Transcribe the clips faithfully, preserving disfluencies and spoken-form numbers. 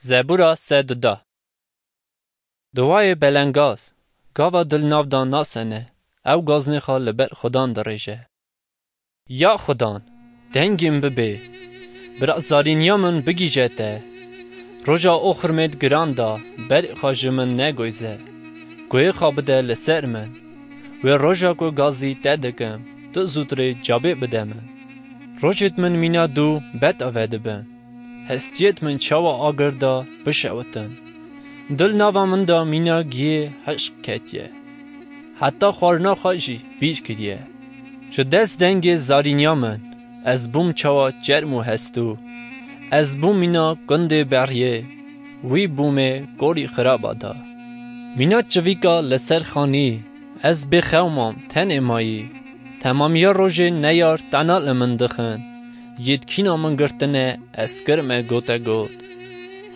Zebûra sed û deh. Duayê belengaz, gava dil nav da nasene, ew gaznê xwe li ber Xudan dirêje. Ya Xudan, dengê min bibê, bira zarîniya min bigihîje te. Roja oxirmêd giran da, berê xwe ji min negoyze. Guhê xwe bide li ser min. Wê roja ku gazî te dikim, tu zûtirê cavê bide min. Rojêd min mîna dû beta vedibin. Hestiyêd min çawa agir da bişewitin. Dil nava min de mîna giyê hişk ketiye. Heta xwarina xwe jî bîr kiriye. Ji dest dengê zarîniya min, ez bûm çawa çerm û hestû. Ez bûm mîna gundê beriyê, wî bûmê gorî xiraba da. Mîna çivîka li ser xanî, ez bêxew mam, tenê mayî. Temamiya rojê neyar tena li min dixin. Yêd kîna min girtine, ez kirime gote got.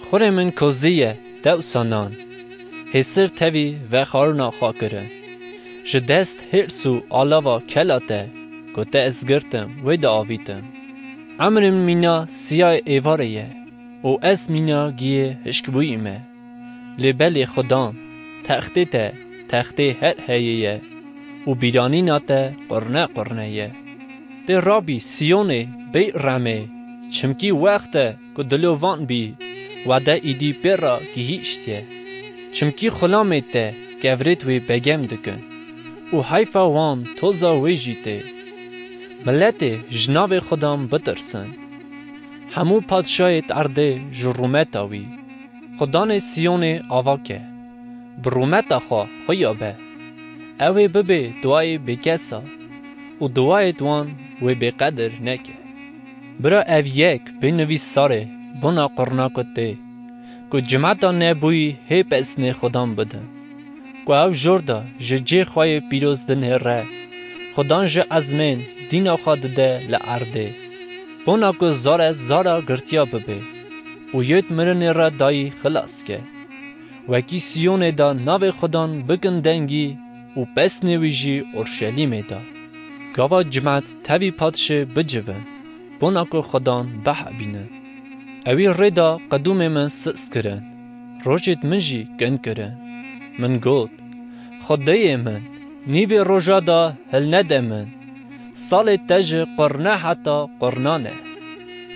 Xurê min kozî ye, dewsa nan. Hêsir tevî vexwarina xwe kirin. Ji dest hêrs û alava kela te, ku te ez girtim, wê de avîtim. Emrim mîna siyayê êvarê ye û ez mîna giyê hişkbûyî me. Lê belê Xudan, textê te, textê her heyê ye û bîranîna te qurne qurne ye. Tê rabî Siyonê bêremê, çimkî wext e ku dilovan bî, wade îdî pê re gihîştiye. Çimkî xulamê te kevirêd wê begem dikin û heyfa wan toza wê jî tê. Miletê ji navê Xudan bitirsin. Hemû padşayêd erdê ji rûmeta wî. Xudanê Siyonê ava ke. Bi rûmeta xwe xuya be. Ew ê bibê duayê bêkesa û duayêd wan wê bêqedir neke. Bira ev yek bê nivîsarê bona qurna ku tê, ku cimeta nebûyî hê pesnê Xudan bidin. Ku ew jor de ji cê xwe yê pîroz dinêre, Xudan ji ezmên dîna xwe dide li erdê. Bona ku zare zara girtiya bibe û yêd mirinê re dayî xilas ke. Wekî Siyonê de navê Xudan bikin dengî û pesnê wî jî Orşelîmê de. Gava cimet tevî padşê bicivin, bona ku Xudan bihebînin. Ewî rê da qedûmê min sist kirin, rojêd min jî kin kirin. Min got, Xwedêyê min, nîvê roja de hilnede min. Salê te ji qurne heta qurnan e.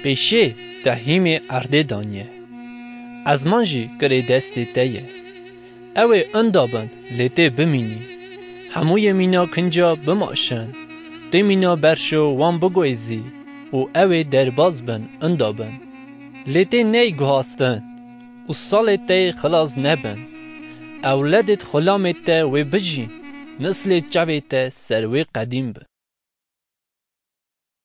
Pêşê te hîmê erdê daniye. Ezman jî kirê destê te ye. Ew ê inda bin, lê tê bimînî. Hemûyê mîna kinca bimaşin. Tê mîna berşo wan biguhêzî û ew ê derbaz bin, inda bin. Lê tê ney guhastin û salê te yê xilas nebin. Ewledêd xulamê te wê bijîn, nislê çavê te ser wê qedîm bin.